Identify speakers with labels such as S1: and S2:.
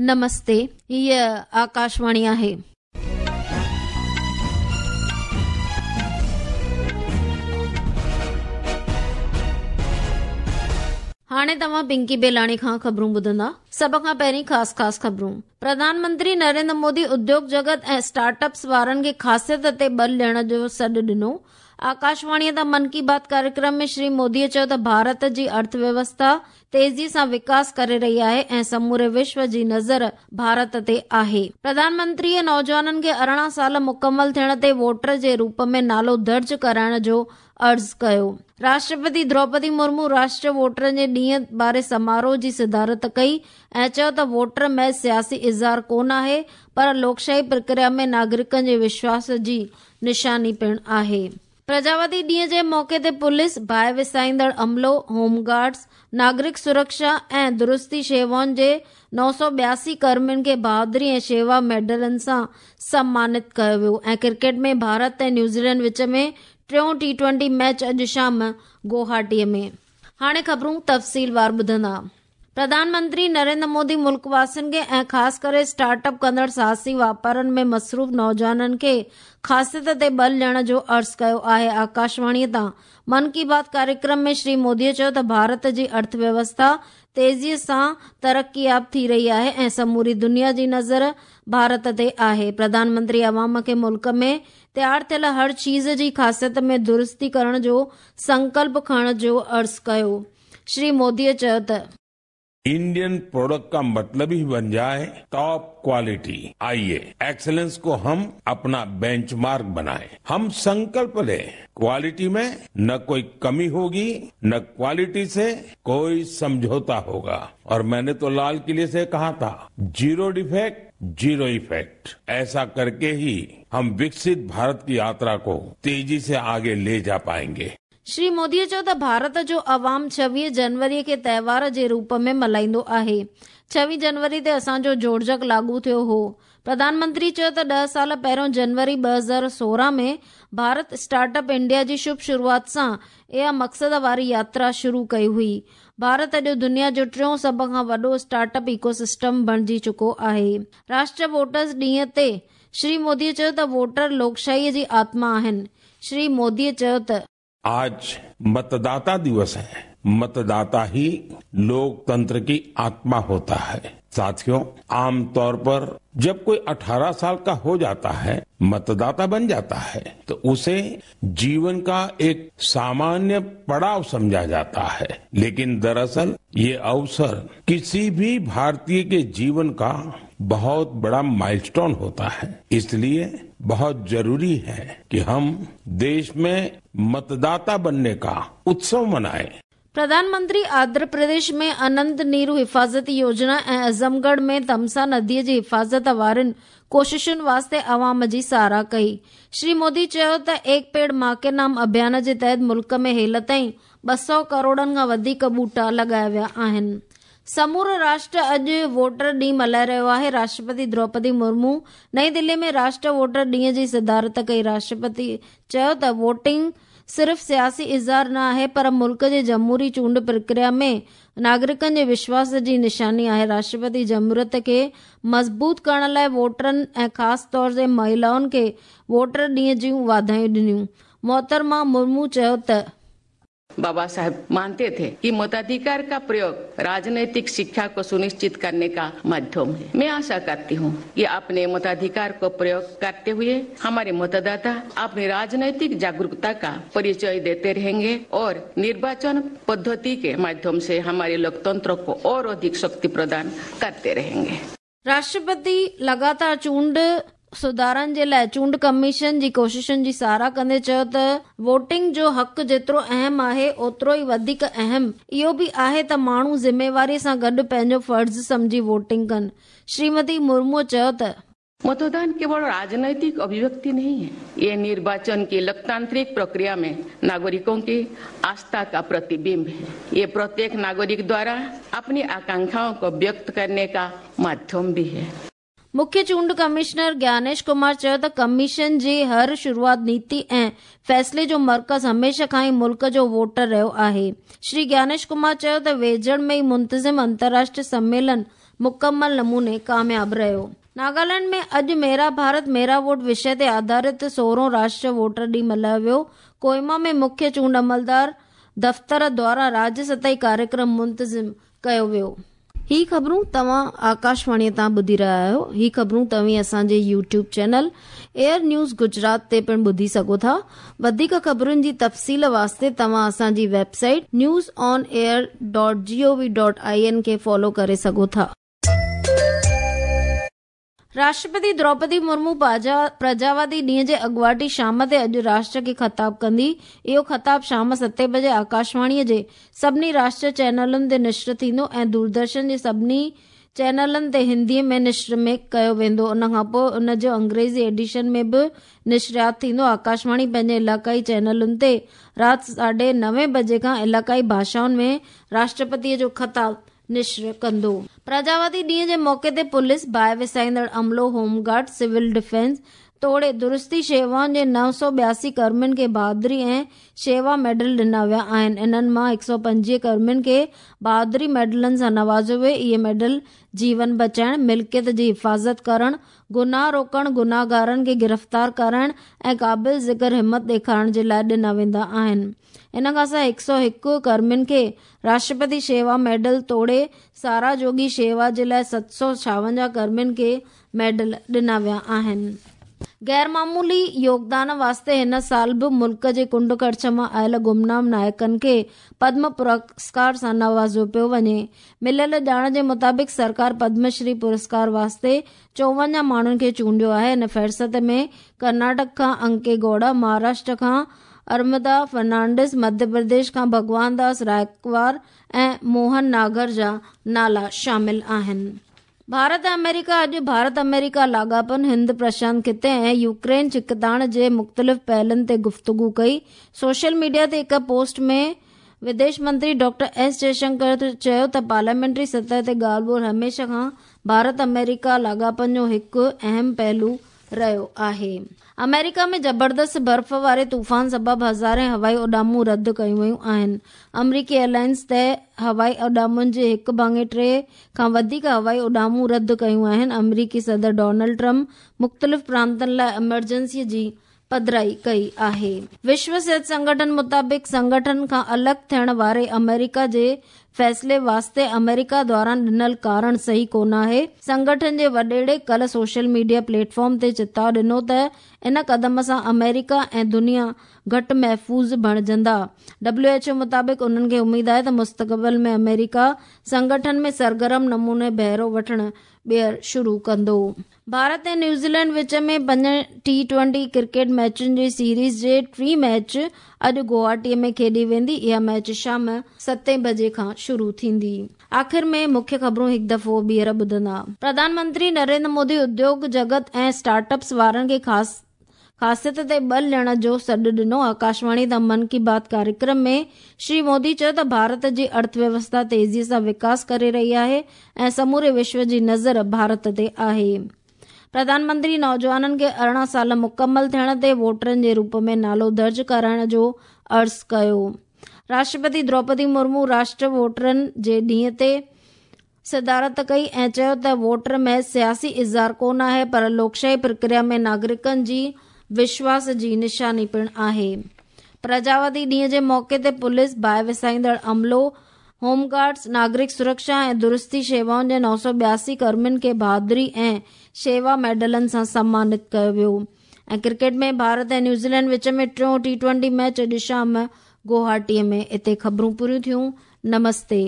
S1: نمستي، هيء آڪاشواڻي آهي. هاڻي توهان پنڪي بيلاڻي کان خبرون ٻڌندا. سڀ کان پهرين خاص خاص خبرون. پرڌان منتري نريندر مودي اديوگ جڳت ۽ اسٽارٽ اپس وارن کي خاصيت تي ٻل ڏيڻ جو سڏ ڏنو. آڪاشواڻيء تان من ڪي بات ڪاريڪرم ۾ شري موديء چيو ته ڀارت جي ارٿ ويوسٿا تيزيء سان وڪاس ڪري رهي آهي ۽ سموري وشو جي نظر ڀارت تي آهي. پرڌان منتريء نوجوانن کي 18 سال مڪمل ٿيڻ تي ووٽر جي روپ ۾ نالو درج ڪرائڻ جو عرض ڪيو. راشٽرپتي دروپدي مرمو راشٽريه ووٽرن جي ڏينهن واري سماروهه جي صدارت ڪئي ۽ چيو ته ووٽر محض سياسي اظهار ڪونه آهي پر لوڪشاهي پرڪريا ۾ ناگرڪن جي وشواس جي نشاني پڻ آهي. پرجاوتي ڏينهن جي موقعي تي پوليس، باهه وسائيندڙ عملو، هوم گارڊز، ناگرڪ سرڪشا ۽ درستي شيوائن جي 982 ڪرمين کي بهادري ۽ شيوا ميڊلن سان سمانت ڪيو ويو ۽ ڪرڪيٽ ۾ ڀارت ۽ نيوزيلينڊ وچ ۾ ٽيون ٽي ٽوئنٽي ميچ اڄ شام گوهاٽي ۾. هاڻي خبرون تفصيلوار ٻڌندا. پرڌان منتري نريندر مودي ملڪ واسين کي ۽ خاص ڪري اسٽارٽ اپ ڪندڙ ساهسي واپارن ۾ مصروف نوجوانن کي خاصيت تي ٻل ڏيڻ جو عرض ڪيو آهي. آڪاشواڻي تان من ڪي بات ڪاريڪرم ۾ شري مودي چيو ته ڀارت جي ارٿ ويوسٿا تيزي سان ترقياب ٿي رهي آهي ۽ سموري دنيا جي نظر ڀارت تي آهي. پرڌان منتري عوام کي ملڪ ۾ تيار ٿيل هر چيز جي خاصيت ۾ درستي ڪرڻ جو سنڪلپ کڻڻ جو عرض ڪيو. شري موديء چيو ته.
S2: انڊين پروڊڪٽ کا مطلب هي بن جائي ٽاپ ڪوالٽي آئيي ايڪسلنس کو هم اپنا بينچ مارڪ بنائين هم سنڪلپ لين ڪوالٽي مين نه ڪوئي ڪمي هوگي نه ڪوالٽي سي ڪوئي سمجهوتا هوگا اور مين ني تو لال قلعي سي ڪها ٿا زيرو ڊيفيڪٽ زيرو افيڪٽ ايسا ڪرڪي هي هم وڪست ڀارت ڪي ياترا ڪو تيزي سي آگي لي جا پائينگي.
S1: شري مودي چيو ته ڀارت جو عوام 26 جنوري کي تهوار جي روپ ۾ ملهائيندو آهي، 26 جنوري تي اسان جو جوڙجڪ لاڳو ٿيو هو. پرڌان منتري چيو ته ڏهه سال پهريون جنوري 2016 ۾ ڀارت اسٽارٽ اپ انڊيا جي شڀ شروعات سان اها مقصد واري ياترا شروع ڪئي هئي. ڀارت اڄ دنيا جو ٽيون سڀ کان وڏو اسٽارٽ اپ ايڪو سسٽم بڻجي چڪو آهي. راشٽريه ووٽرز ڏينهن تي شري مودي چيو ته ووٽر لوڪشاهي جي آتما آهن. شري مودي چيو ته.
S2: آج متداتا دوس هي، متداتا هي لوڪتنتر ڪي آتما هوتا هي. ساٿيو، عام طور پر جب ڪوئي 18 سال ڪا هو جاتا هي، متداتا بن جاتا هي تو اسي جيون ڪا ايڪ سامانيه پڙاو سمجها جاتا هي، ليڪن دراصل يه اوسر ڪسي ڀي ڀارتيه ڪي جيون ڪا بهت بڙا مائلسٽون هوتا هي، اس ليي بهت ضروري هي ڪي هم ديش مين متداتا بنني ڪا اتسو منائين.
S1: پرڌان منتري آنڌرا پرديش ۾ اننت نيرو حفاظتي يوجنا ۽ اعظم ڳڙهه ۾ تمسا نديء جي حفاظت وارين ڪوششن واسطي عوام جي ساراهه ڪئي. شري مودي چيو ته ايڪ پيڙ مان ڪي نام اڀيان جي تحت ملڪ ۾ هيل تائين 200 ڪروڙن کان وڌيڪ ٻوٽا لڳايا ويا آهن. سمورو راشٽر اڄ ووٽر ڏينهن ملهائي رهيو آهي. راشٽرپتي دروپدي مرمو نئين دلي ۾ راشٽر ووٽر ڏينهن جي صدارت ڪئي. راشٽرپتي چيو ته ووٽنگ صرف سياسي اظهار نه آهي پر ملڪ جي جمهوري چونڊ پرڪريا ۾ ناگرڪن جي وشواس جي نشاني آهي. راشٽرپتي جمهوريت کي مضبوط ڪرڻ لاء ووٽرن ۽ خاص طور تي مهيلائن کي ووٽر ڏينهن جون واڌايون ڏنيون. محترمه مرمو چيو ته.
S3: बाबा साहेब मानते थे कि मताधिकार का प्रयोग राजनीतिक शिक्षा को सुनिश्चित करने का माध्यम है। मैं आशा करती हूँ कि अपने मताधिकार को प्रयोग करते हुए हमारे मतदाता अपनी राजनीतिक जागरूकता का परिचय देते रहेंगे और निर्वाचन पद्धति के माध्यम से हमारे लोकतंत्र को और अधिक शक्ति प्रदान करते रहेंगे।
S1: راشٽرپتي لڳاتار چونڊ سڌارن جي لاء چونڊ ڪميشن جي ڪوششن جي ساراهه ڪندي چيو ته ووٽنگ جو حق جيترو اهم آهي اوترو ئي وڌيڪ اهم اهو به آهي ته ماڻهو ذميواري سان گڏ پنهنجو فرض سمجهي ووٽنگ ڪن. شريمتي مرمو چيو ته.
S3: متدان ڪيول راجنيتڪ اڀيويڪتي نهين هي، يه نرواچن ڪي لوڪتانترڪ پرڪريا ۾ ناگرڪون ڪي آسٿا ڪا پرتبمب هي. يه پرتيڪ ناگرڪ دوارا اپني آڪانکائون ڪو ويڪت ڪرني ڪا ماڌيم ڀي هي.
S1: مکيه چونڊ ڪمشنر گيانيش ڪمار چيو ته ڪميشن جي هر شروعات نيتي ۽ فيصلي جو مرڪز هميشه کان ئي ملڪ جو ووٽر رهيو آهي. شري گيانيش ڪمار چيو ته ويجهڙ ۾ ئي منتظم انترراشٽريه سميلن مڪمل نموني ڪامياب رهيو. ناگالينڊ ۾ اڄ ميرا ڀارت ميرا ووٽ وشي تي آڌارت 16هون راشٽريه ووٽر ڏينهن ملهايو ويو. ڪوهيما ۾ مکيه چونڊ عملدار دفتر دواران راجيه سطحي ڪاريڪرم منتظم ڪيو ويو. هي خبرون توهان آڪاشواڻي تان ٻڌي رهيا آهيو. هي خبرون توهين اسان جي YouTube channel AIR news Gujarat تي پڻ ٻڌي سگهو ٿا. وڌيڪ خبرن جي تفصيل واسطي توهان اسان جي website news on air dot G O V dot I N کي فالو ڪري سگهو ٿا. راشٽرپتي دروپدي مرمو پرجاوادي ڏينهن جي اڳواٽي شام تي اڄ راشٽر کي خطاب ڪندي. اهو خطاب شام 7 بجي آڪاشواڻي جي سڀني راشٽريه چينلن تي نشر ٿيندو ۽ دوردرشن جي سڀني چينلن تي هندي ۾ نشر ۾ ڪيو ويندو. ان کان پوء ان جو انگريزي ايڊيشن ۾ به نشريات ٿيندو. آڪاشواڻي پنهنجي علائقائي چينلن تي رات 9:30 بجي کان علائقائي ڀاشائن ۾ راشٽرپتي جو خطاب نشر ڪندو. پرجاوادي ڏينهن جي موقعي تي پوليس، باهه وسائيندڙ عملو، هوم گارڊ، سول ڊفينس توڙي درستي شيوائن جي 982 ڪرمين کي بهادري ۽ شيوا ميڊل ڏنا ويا آهن. انهن مان 125 ڪرمين کي بهادري ميڊلن سان نوازيو ويو. اهي ميڊل جيون بچائڻ، ملڪيت جي حفاظت ڪرڻ، گناهه روڪڻ، گناهگارن کي گرفتار ڪرائڻ ۽ قابل ذڪر همت ڏيکارڻ جي لاء ڏنا ويندا آهن. ان کان سواء 101 ڪرمين کي راشٽرپتي شيوا ميڊل توڙي ساراهه جوڳي شيوا جي لاء 756 ڪرمين کي ميڊل ڏنا ويا آهن. غير معمولي يوگدان واسطي هن سال به ملڪ جي ڪنڊ ڪڙڇ مان آيل گمنام نائڪن کي پدم پرسڪار سان نوازيو پيو وڃي. مليل ڄاڻ جي مطابق سرڪار پدم شري پرسڪار واسطي 54 ماڻهن کي چونڊيو آهي. ان فهرست ۾ ڪرناٽڪ کان انڪي گوڙا، مهاراشٽر کان ارمدا فرنانڊس، مڌيه پرديش کان ڀڳوان داس رائڪوار ۽ موهن ناگر جا نالا شامل آهن. ڀارت ۽ آمريڪا اڄ ڀارت آمريڪا لاڳاپن، هند پرشانت خطي ۽ يوڪرين ڇڪتاڻ جي مختلف پهلن تي گفتگو ڪئي. سوشل ميڊيا تي هڪ پوسٽ ۾ وديش منتري ڊاڪٽر ايس جئشنڪر چيو ته پارليامينٽري سطح تي ڳالهه ٻولهه هميشه کان ڀارت آمريڪا لاڳاپن جو هڪ اهم پهلو رهيو آهي. آمريڪا ۾ زبردست برف واري طوفان سبب هزارين هوائي اڏامون رد ڪيون ويون آهن. آمريڪي ايئرلائنز ته هوائي اڏامن جي 1.3 کان وڌيڪ هوائي اڏامون رد ڪيون آهن. آمريڪي صدر ڊونلڊ ٽرمپ مختلف پرانتن لاء ايمرجنسي جي پڌرائي ڪئي آهي. وشو صحت سنگٺن مطابق سنگٺن کان الڳ ٿيڻ واري آمريڪا جي فيصلي واسطي آمريڪا دواران ڏنل ڪارڻ صحيح ڪونه آهي. سنگٺن جي وڏيري ڪلهه سوشل ميڊيا پليٽ فارم تي چتاء ڏنو ته ان قدم سان آمريڪا ۽ دنيا گهٽ محفوظ بڻجندا. ڊبليو ايڇ او مطابق انهن کي اميد آهي ته مستقبل ۾ آمريڪا سنگٺن ۾ سرگرم نموني بهرو وٺڻ ٻيهر شروع ڪندو. ڀارت ۽ نيوزيلينڊ وچ ۾ 5 ٽي ٽوئنٽي ڪرڪيٽ ميچن جي سيريز جي ٽين ميچ اڄ گوهاٽي ۾ کيڏي ويندي. اها ميچ شام 7 بجي کان شروع ٿيندي. آخر ۾ مکيه خبرون هڪ دفعو ٻيهر ٻڌندا. پرڌان منتري نريندر مودي اديوگ جڳت ۽ اسٽارٽ اپس وارن کي خاصيت تي ٻل ڏيڻ جو سڏ ڏنو. آڪاشواڻي تان من ڪي بات ڪاريڪرم ۾ شري مودي چيو ته ڀارت جي ارٿ ويوسٿا تيزي سان وڪاس ڪري رهي آهي ۽ سموري وشو جي نظر ڀارت تي آهي. پرڌان منتري نوجوانن کي 18 سال مڪمل ٿيڻ تي ووٽرن جي روپ ۾ نالو درج ڪرائڻ جو عرض ڪيو. راشٽرپتي دروپدي مرمو راشٽر ووٽرن جي ڏينهن تي صدارت ڪئي ۽ چيو ته ووٽر محض سياسي اظهار ڪونه آهي پر لوڪشاهي پرڪريا ۾ ناگرڪن جي وشواس جي نشاني پڻ آهي. پرجاوادي ڏينهن جي موقعي تي پوليس، باهه وسائيندڙ عملو، هوم گارڊز، ناگرڪ سرڪشا ۽ درستي شيوائن جي 982 ڪرمين کي بهادري ۽ شيوا ميڊلن سان سمانت ڪيو ويو. ۽ ڪرڪيٽ ۾ ڀارت ۽ نيوزيلينڊ وچ ۾ ٽيون ٽي ٽوئنٽي ميچ اڄ شام گوهاٽي ۾. اتي خبرون پوريون ٿيون. نمستي.